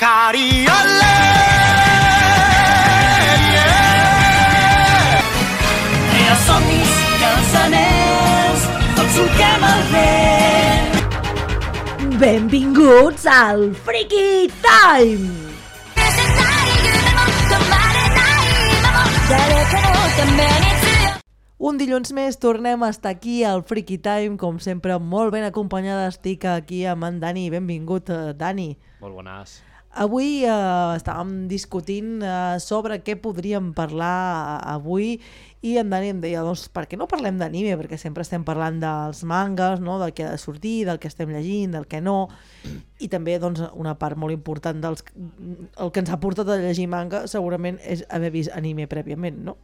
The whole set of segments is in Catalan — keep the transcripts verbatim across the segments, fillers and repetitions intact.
Cariole, yeah. I els somnis i els anells tots solquem el vent. Benvinguts al Freaky Time! Un dilluns més tornem a estar aquí al Freaky Time, com sempre molt ben acompanyada. Estic aquí amb en Dani. Benvingut, Dani. Molt bones. Avui eh, estàvem discutint eh, sobre què podríem parlar avui i en Dani em deia, doncs, per què no parlem d'anime? Perquè sempre estem parlant dels mangas, no? Del que ha de sortir, del que estem llegint, del que no, i també doncs, una part molt important dels... el que ens ha portat a llegir manga segurament és haver vist anime prèviament, no?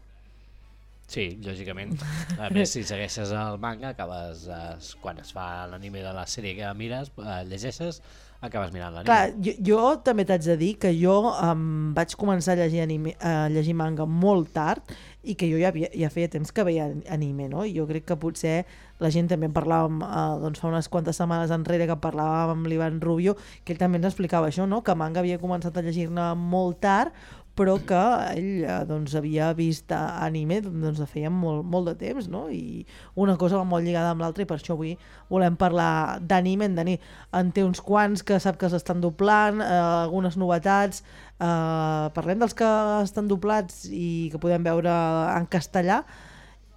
Sí, lògicament. A més, si segueixes el manga, acabes, eh, quan es fa l'anime de la sèrie que mires, eh, llegeixes, acabes mirant l'anime. Clar, jo, jo també t'haig de dir que jo um, vaig començar a llegir, anime, a llegir manga molt tard i que jo ja, havia, ja feia temps que veia anime, no? I jo crec que potser la gent també en parlàvem uh, doncs fa unes quantes setmanes enrere que parlàvem amb l'Ivan Rubio, que ell també ens explicava això, no? Que manga havia començat a llegir-ne molt tard, però que ell doncs, havia vist anime doncs, de feia molt, molt de temps, no? I una cosa va molt lligada amb l'altra i per això avui volem parlar d'anime. En Dani en té uns quants que sap que s'estan doblant, eh, algunes novetats. Eh, parlem dels que estan doblats i que podem veure en castellà.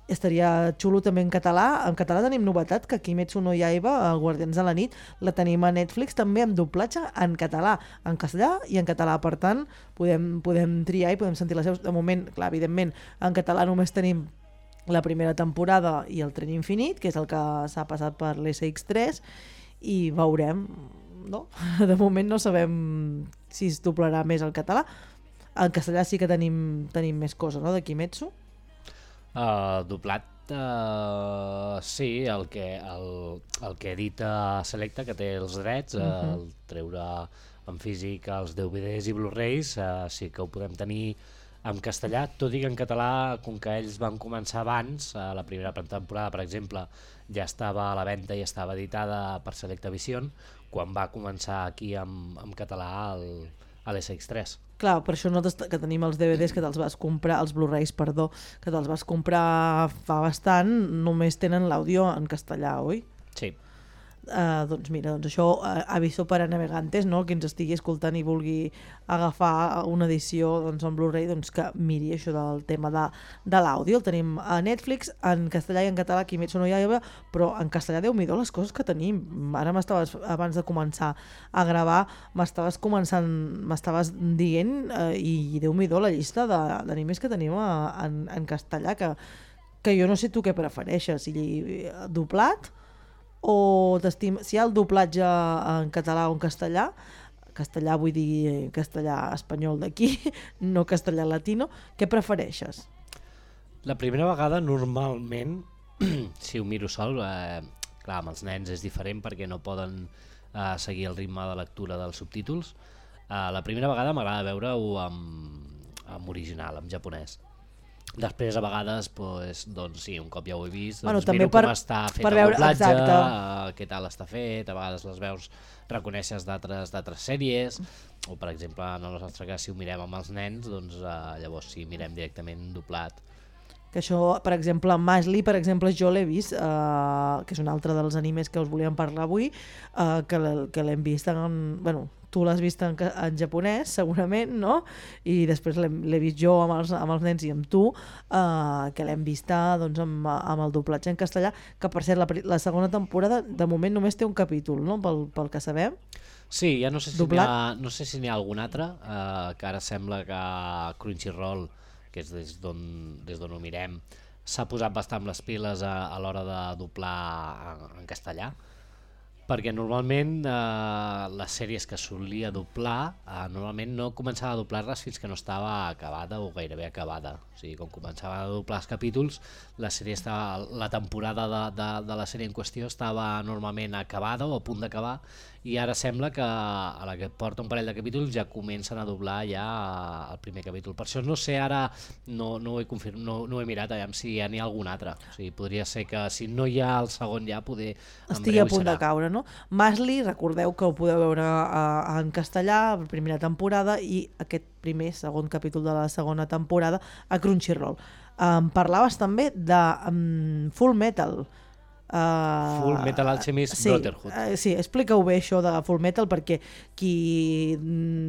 Estaria xulo també en català. En català tenim novetat, que Kimetsu no Yaiba, el Guardians de la nit, la tenim a Netflix també amb doblatge en català, en castellà i en català. Per tant, podem, podem triar i podem sentir les veus. De moment, clar, evidentment, en català només tenim la primera temporada i el Tren Infinit, que és el que s'ha passat per l'S X tres, i veurem, no? De moment no sabem si es doblarà més el català. En castellà sí que tenim, tenim més coses, no?, de Kimetsu. Uh, doblat, uh, sí, el que, el, el que edita Selecta, que té els drets, uh, uh-huh. el treure en físic els D V Ds i Blu-rays, uh, sí que ho podem tenir en castellà, tot i que en català, com que ells van començar abans, uh, la primera temporada, per exemple, ja estava a la venda i estava editada per Selecta Vision, quan va començar aquí en, en català el, a l'S X tres. Clar, per això nosaltres que tenim els D V Ds que te'ls vas comprar, els Blu-rays, perdó, que te'ls vas comprar fa bastant, només tenen l'àudio en castellà, oi? Sí. Uh, doncs mira, doncs això, uh, aviso per a navegantes, no?, que ens estigui escoltant i vulgui agafar una edició doncs, en Blu-ray, doncs que miri això del tema de, de l'àudio. El tenim a Netflix, en castellà i en català, Kimetsu no Yaiba, però en castellà, Déu-m'hi-do, les coses que tenim. Ara m'estaves, abans de començar a gravar, m'estaves començant, m'estaves dient, uh, i Déu-m'hi-do, la llista d'animes que tenim a, en, en castellà, que, que jo no sé tu què prefereixes, si doblat, o t'estim... si hi ha el doblatge en català o en castellà, castellà vull dir castellà espanyol d'aquí, no castellà latino, què prefereixes? La primera vegada normalment, si ho miro sol, eh, clar, amb els nens és diferent perquè no poden eh, seguir el ritme de lectura dels subtítols. Eh, la primera vegada m'agrada veure-ho amb, amb original, en japonès. Després, a vegades, pues, doncs, sí, un cop ja ho he vist, doncs, bueno, miro per, com està fet per el veure, doblatge, uh, què tal està fet, a vegades les veus reconeixes d'altres d'altres sèries, o per exemple, en el nostre cas, si ho mirem amb els nens, doncs uh, llavors sí, mirem directament doblat. Que això, per exemple, Mashley, per exemple, jo l'he vist, eh, que és un altre dels animes que us volíem parlar avui, eh, que, que l'hem vist en... Bueno, tu l'has vist en, en japonès, segurament, no? I després l'he vist jo amb els, amb els nens i amb tu, eh, que l'hem vista doncs, amb, amb el doblatge en castellà, que per cert, la, la segona temporada de moment només té un capítol, no? Pel, pel que sabem. Sí, ja no sé si n'hi ha, no sé si n'hi ha algun altre, eh, que ara sembla que Crunchyroll, que és des d'on des d'on ho mirem, s'ha posat bastant les piles a, a l'hora de doblar en, en castellà, perquè normalment eh, les sèries que solia doblar eh, normalment no començava a doblar-les fins que no estava acabada o gairebé acabada. O sigui, quan començava a doblar els capítols, la sèrie estava, la temporada de, de, de la sèrie en qüestió estava normalment acabada o a punt d'acabar i ara sembla que a la que porta un parell de capítols ja comencen a doblar ja el primer capítol. Per això no sé ara, no, no, ho, he confirm, no, no ho he mirat, aviam si ja n'hi ha algun altre. O sigui, podria ser que si no hi ha el segon ja poder... Estigui a punt de caure, no? Masli, recordeu que ho podeu veure a, a, en castellà, la primera temporada, i aquest primer, segon capítol de la segona temporada a Crunchyroll. Um, parlaves també de um, Full Metal. Uh, Full Metal Alchemist sí, Brotherhood. Uh, sí, explica-ho bé això de Full Metal, perquè qui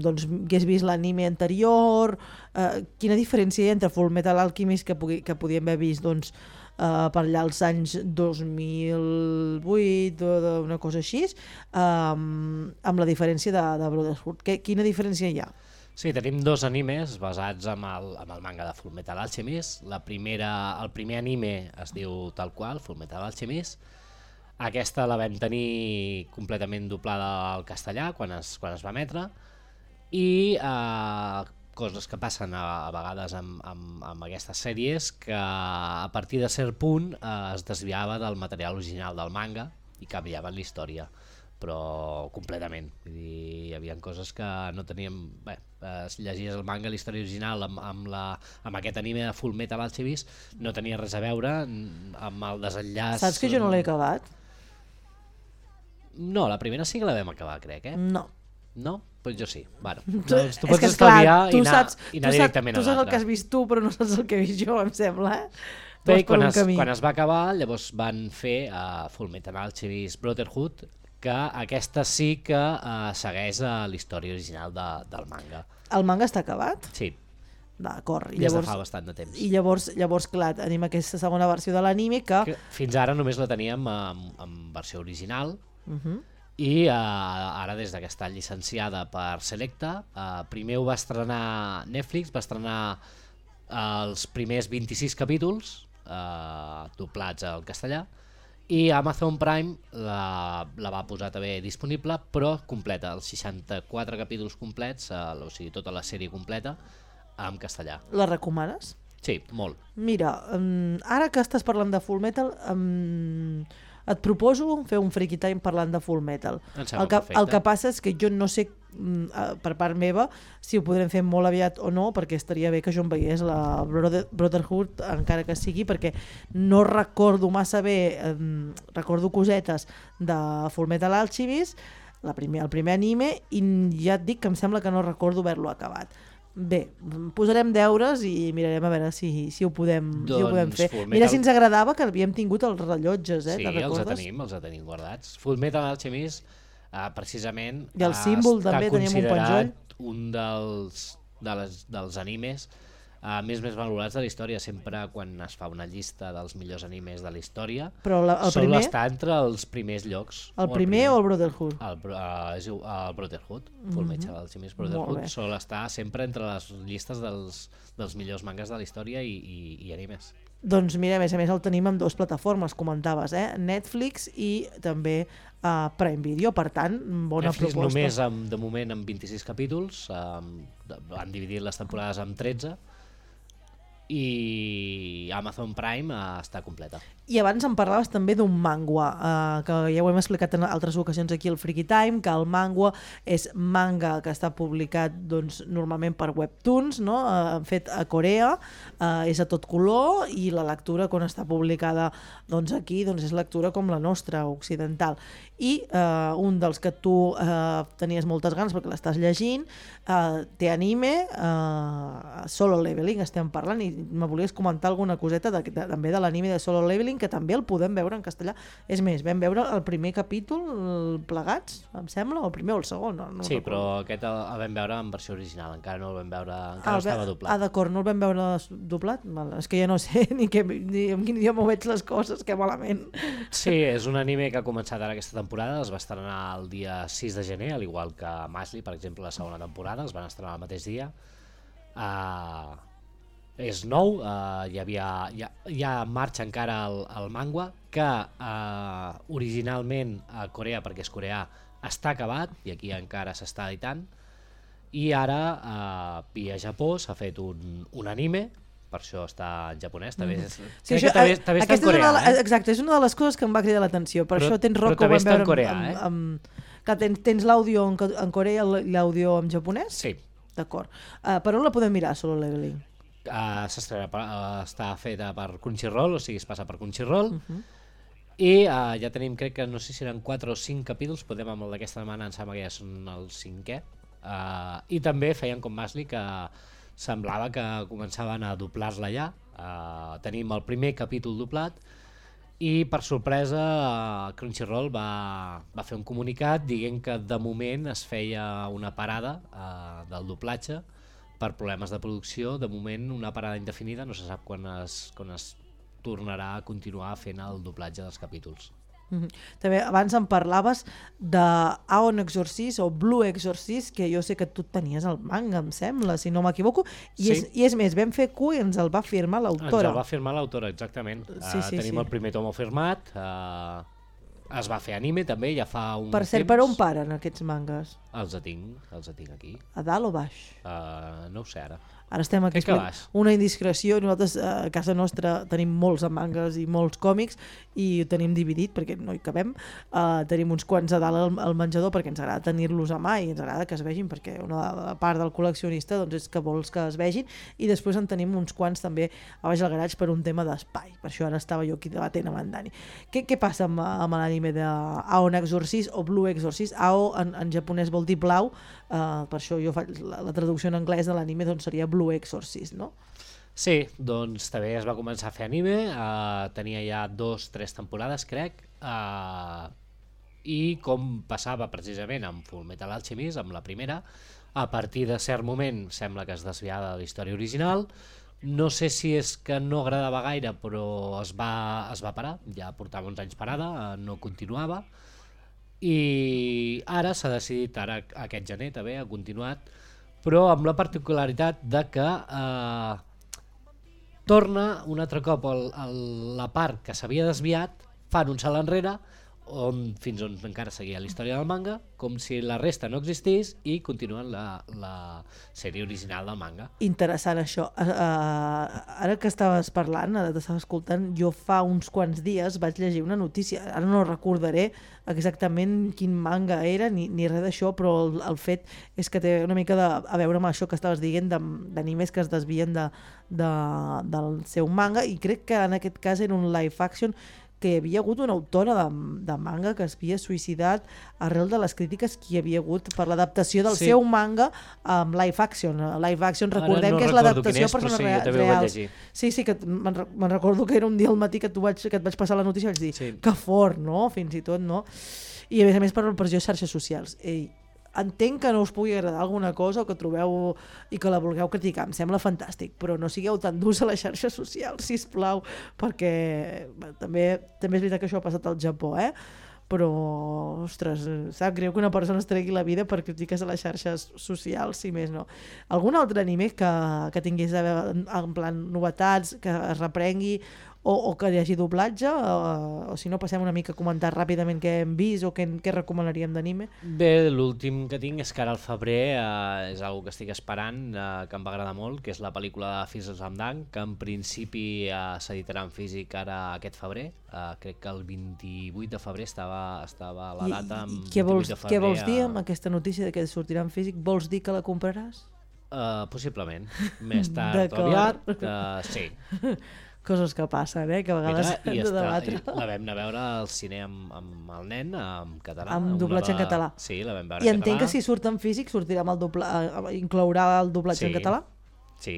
doncs, hagués vist l'anime anterior, uh, quina diferència hi ha entre Full Metal Alchemist que, pugui, que podíem haver vist doncs, uh, per allà als anys dos mil vuit o una cosa així, um, amb la diferència de, de Brotherhood. Que, quina diferència hi ha? Sí, tenim dos animes basats en el, en el manga de Full Metal Alchemist. La primera, el primer anime es diu tal qual, Full Metal Alchemist. Aquesta la vam tenir completament doblada al castellà quan es, quan es va emetre. I eh, coses que passen a, a vegades amb, amb, amb aquestes sèries, que a partir de cert punt eh, es desviava del material original del manga i canviaven la història, però completament. Vull dir, hi havia coses que no teníem... Bé, eh, si llegies el manga, la història original amb, amb, la, amb aquest anime de Full Metal Alchemist no tenia res a veure amb el desenllaç... Saps que jo no l'he acabat? No, la primera sí que la vam acabar, crec, eh? No. No? Doncs jo sí. Bueno, Tu, doncs tu és pots que, estalviar esclar, tu i anar, saps, i anar tu directament saps, tu a saps el que has l'altre. vist tu, però no saps el que he vist jo, em sembla, eh? Tu Bé, vas per quan un es, camí. quan es va acabar, llavors van fer uh, Full Metal Alchemist Brotherhood, que aquesta sí que uh, segueix uh, la història original de, del manga. El manga està acabat? Sí, D'acord. I des de llavors, fa bastant de temps. i llavors, llavors, clar, tenim aquesta segona versió de l'anime que... Que fins ara només la teníem en, en versió original, Uh -huh. i uh, ara des que està llicenciada per Selecta, uh, primer ho va estrenar Netflix, va estrenar uh, els primers vint-i-sis capítols uh, doblats al castellà, i Amazon Prime la, la va posar també disponible, però completa, els seixanta-quatre capítols complets, uh, o sigui tota la sèrie completa en castellà. La recomanes? Sí, molt. Mira, um, ara que estàs parlant de Full Metal, um, et proposo fer un Freaky Time parlant de Full Metal. Em sembla El que, perfecte. el que passa és que jo no sé, mm, eh, per part meva, si ho podrem fer molt aviat o no, perquè estaria bé que jo em veiés la Brother, Brotherhood, encara que sigui, perquè no recordo massa bé, eh, recordo cosetes de Full Metal Alchemist, la primer, el primer anime, i ja et dic que em sembla que no recordo haver-lo acabat. Bé, posarem deures i mirarem a veure si, si, ho, podem, Doncs si ho podem fer. Full Mira Metal- si ens agradava que havíem tingut els rellotges, eh? Sí, Te'n els recordes? tenim, els tenim guardats. Full Metal Alchemist, uh, precisament, I el uh, símbol està també, teníem un considerat un dels, de les, dels animes uh, més més valorats de la història. Sempre quan es fa una llista dels millors animes de la història, Però la, el sol primer, estar entre els primers llocs. el primer o el Brotherhood? El, bro- uh, és el Brotherhood, Full Metal Alchemist Molt Brotherhood, bé. sol estar sempre entre les llistes dels, dels millors mangas de la història i, i, i animes. Doncs mira, a més a més el tenim en dues plataformes, comentaves, eh? Netflix i també uh, Prime Video, per tant, bona Netflix proposta. només amb, de moment amb vint-i-sis capítols, um, han dividit les temporades amb tretze, i Amazon Prime uh, està completa. I abans em parlaves també d'un mangua, eh, que ja ho hem explicat en altres ocasions aquí al Freaky Time, que el mangua és manga que està publicat doncs, normalment per webtoons, no? eh, fet a Corea, eh, és a tot color, i la lectura quan està publicada doncs, aquí doncs, és lectura com la nostra, occidental. I eh, un dels que tu eh, tenies moltes ganes perquè l'estàs llegint, eh, té anime, eh, Solo Leveling estem parlant, i me volies comentar alguna coseta de, de, també de l'anime de Solo Leveling, que també el podem veure en castellà. És més, vam veure el primer capítol plegats, em sembla, o el primer o el segon. No, no Sí, recordo. però aquest el, el vam veure en versió original, encara no el vam veure, encara Ah, no el ve- estava Ah, doblat. d'acord, no el vam veure doblat? Val, és que ja no sé ni, que, ni en quin idioma veig les coses, que malament. Sí, és un anime que ha començat ara aquesta temporada, es va estrenar el dia sis de gener, al igual que Masli, per exemple, la segona temporada, es van estrenar el mateix dia. Uh, és nou, uh, hi havia, hi ha, hi ha en marxa encara el, el manga, que uh, originalment a Corea, perquè és coreà, està acabat, i aquí encara s'està editant, i ara uh, via Japó s'ha fet un, un anime per això està en japonès. També és, Sí, crec això, que també, també està en aquesta és una coreà. de la, Eh? exacte, és una de les coses que em va cridar l'atenció. Per Però- això tens però rock que ho també vam està en veure coreà, amb, eh? amb, que tens, tens l'àudio en, en coreà i l'àudio en japonès? Sí. D'acord. Uh, per on la podem mirar, Solo Leveling? Uh, s'estrena per- uh, està feta per Crunchyroll, o sigui, es passa per Crunchyroll. Uh -huh. I uh, ja tenim, crec que no sé si eren quatre o cinc capítols, podem amb el d'aquesta setmana, em sembla que ja són el cinquè. Uh, I també feien com Masli, que semblava que començaven a doblar-la ja. Uh, tenim el primer capítol doblat i per sorpresa uh, Crunchyroll va, va fer un comunicat dient que de moment es feia una parada uh, del doblatge per problemes de producció. De moment una parada indefinida, no se sap quan es, quan es tornarà a continuar fent el doblatge dels capítols. Mm -hmm. També abans em parlaves de Aon Exorcist o Blue Exorcist, que jo sé que tu tenies el manga, em sembla, si no m'equivoco, i, Sí. és, i és més, vam fer Q i ens el va firmar l'autora. Ens el va firmar l'autora, exactament. Sí, Uh, sí, tenim sí. el primer tomo firmat, uh, es va fer anime també, ja fa un Per cert, temps. per on paren aquests mangas? Els tinc, els tinc aquí. A dalt o baix? Uh, no ho sé ara. Ara estem aquí Crec que fent baix. una indiscreció. Nosaltres eh, a casa nostra tenim molts mangas i molts còmics i ho tenim dividit perquè no hi cabem. Uh, tenim uns quants a dalt al, al menjador perquè ens agrada tenir-los a mà i ens agrada que es vegin, perquè una part del col·leccionista doncs, és que vols que es vegin, i després en tenim uns quants també a baix al garatge per un tema d'espai. Per això ara estava jo aquí debatent amb en Dani. Què, què passa amb, amb l'anime de Aon Exorcist o Blue Exorcist? Ao en, en japonès vol dir blau, uh, per això jo faig la, la traducció en anglès de l'anime doncs seria Blue Exorcist, no? Sí, doncs també es va començar a fer anime, uh, tenia ja dos, tres temporades, crec, uh, i com passava precisament amb Fullmetal Alchemist, amb la primera, a partir de cert moment sembla que es desviava de la història original. No sé si és que no agradava gaire, però es va, es va parar, ja portava uns anys parada, uh, no continuava, i ara s'ha decidit, ara aquest gener també ha continuat, però amb la particularitat de que eh, torna un altre cop el, el, la part que s'havia desviat, fan un salt enrere, on, fins on encara seguia la història del manga, com si la resta no existís, i continuen la, la sèrie original del manga. Interessant això. Uh, uh, ara que estaves parlant, ara t'estava escoltant, jo fa uns quants dies vaig llegir una notícia, ara no recordaré exactament quin manga era ni, ni res d'això, però el, el fet és que té una mica de, a veure amb això que estaves dient d'animes que es desvien de, de, del seu manga, i crec que en aquest cas era un live action que hi havia hagut una autora de, de manga que es havia suïcidat arrel de les crítiques que hi havia hagut per l'adaptació del Sí. seu manga amb live action. Live action, recordem no que és recordo l'adaptació quin a és, però persones sí, rea- jo també ho vaig reals. llegir. Sí, sí, que me'n re- me'n recordo que era un dia al matí que, tu vaig, que et vaig passar la notícia i vaig dir, Sí. que fort, no? Fins i tot, no? I a més a més per la pressió a xarxes socials. Ei, entenc que no us pugui agradar alguna cosa o que trobeu i que la vulgueu criticar, em sembla fantàstic, però no sigueu tan durs a les xarxes socials, sisplau, perquè bé, també, també és veritat que això ha passat al Japó, eh? Però, ostres, sap greu que una persona es tregui la vida per crítiques a les xarxes socials, si més no. Algun altre anime que, que tingués a veure, en, en plan novetats, que es reprengui, o, o que hi hagi doblatge, o, o si no passem una mica a comentar ràpidament què hem vist o què, què recomanaríem d'anime? Bé, l'últim que tinc és que ara al febrer eh, és una que estic esperant, eh, que em va agradar molt, que és la pel·lícula de Fils of Dang, que en principi eh, s'editarà en físic ara aquest febrer. Eh, crec que el vint-i-vuit de febrer estava, estava la data. I, amb i què, vols, vint-i-vuit de febrer, què vols dir eh, amb aquesta notícia de que sortirà en físic? Vols dir que la compraràs? Uh, possiblement. Més tard o D'acord. aviat, uh, sí. Coses que passen, eh? Que a vegades Mira, hem i de està, debatre. i la vam anar a veure al cine amb, amb el nen, en català. Amb una doblatge en de- català. Sí, la vam veure I en entenc català. que si surt en físic sortirà amb el dobla... eh, inclourà el doblatge Sí. en català? Sí.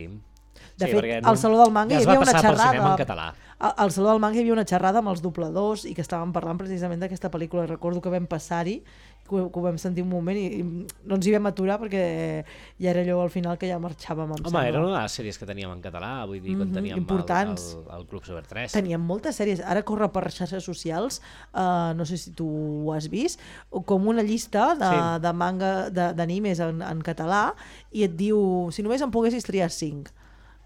De sí, fet, perquè al Saló del Manga ja hi es va havia una passar pel xerrada. cinema en català. Al, al Saló del Manga hi havia una xerrada amb els dobladors i que estàvem parlant precisament d'aquesta pel·lícula. Recordo que vam passar-hi, que, ho- que ho vam sentir un moment i, i no ens hi vam aturar perquè ja era allò al final que ja marxàvem, em Home, sembla. era una de les sèries que teníem en català, vull dir, quan Mhm, teníem el, importants. el, el Club Super tres. Teníem moltes sèries, ara corre per xarxes socials, uh, no sé si tu ho has vist, o com una llista de, Sí. de manga, de- d'animes en, en català, i et diu, si només en poguessis triar cinc.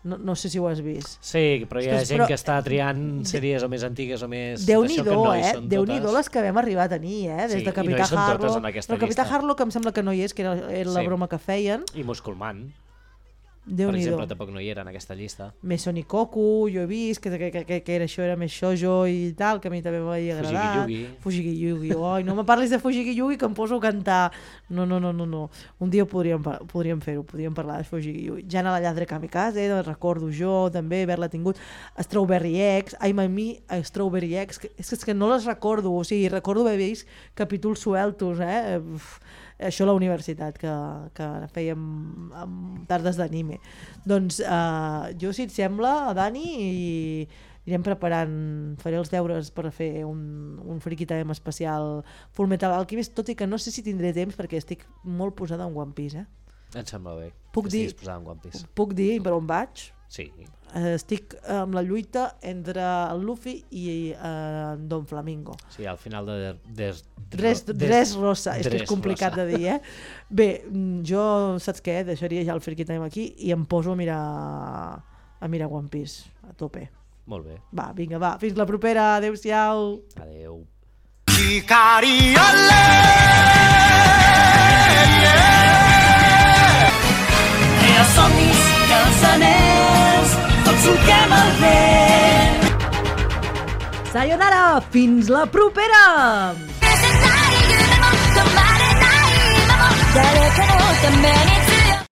No, no sé si ho has vist. Sí, però hi ha Ostres, gent però- que està triant sèries o més antigues o més... Déu-n'hi-do, d'això que no hi eh? són Déu-n'hi-do totes. les que vam arribar a tenir, eh? Des Sí, i de no Capità hi són totes Harlow. en aquesta Però Capità llista. Harlow, que em sembla que no hi és, que era, era la Sí. broma que feien. I Musculman. Déu per n'hi do. exemple, tampoc no hi era en aquesta llista. Mesonikoku, jo he vist que, que, que, que era, això era més shoujo i tal, que a mi també m'havia agradat. Fujigi-Yugi. Fujigi-Yugi. Oi, no me parlis de Fujigi-Yugi que em poso a cantar. No, no, no, no. no. Un dia podríem, podríem fer-ho, podríem parlar de Fujigi-Yugi. Jana la lladre kamikaze, eh, recordo jo també haver-la tingut. Strawberry Eggs, I'm a me, Strawberry Eggs, que, és, que, és que no les recordo, o sigui, recordo haver vist capítols sueltos, eh? Uf, això a la universitat, que, que fèiem amb tardes d'anime. Doncs uh, jo, si et sembla, Dani, i anirem preparant, faré els deures per fer un, un Friki Time especial Full Metal Alchemist, tot i que no sé si tindré temps perquè estic molt posada en One Piece, eh? Em sembla bé Puc que dir, estiguis posada en One Piece. Puc dir per on vaig? Sí. Estic amb la lluita entre el Luffy i uh, Don Flamingo. Sí, al final de... Des, Dres, des, Dres Rosa, és que Dres és complicat Rosa. de dir, eh? Bé, jo, saps què? Deixaria ja el Friki Time aquí i em poso a mirar a mirar One Piece, a tope. Molt bé. Va, vinga, va, fins la propera, adeu-siau. Adeu. Crea somnis i els anells, tots solquem el vent. Sayonara, fins la propera! 誰かのために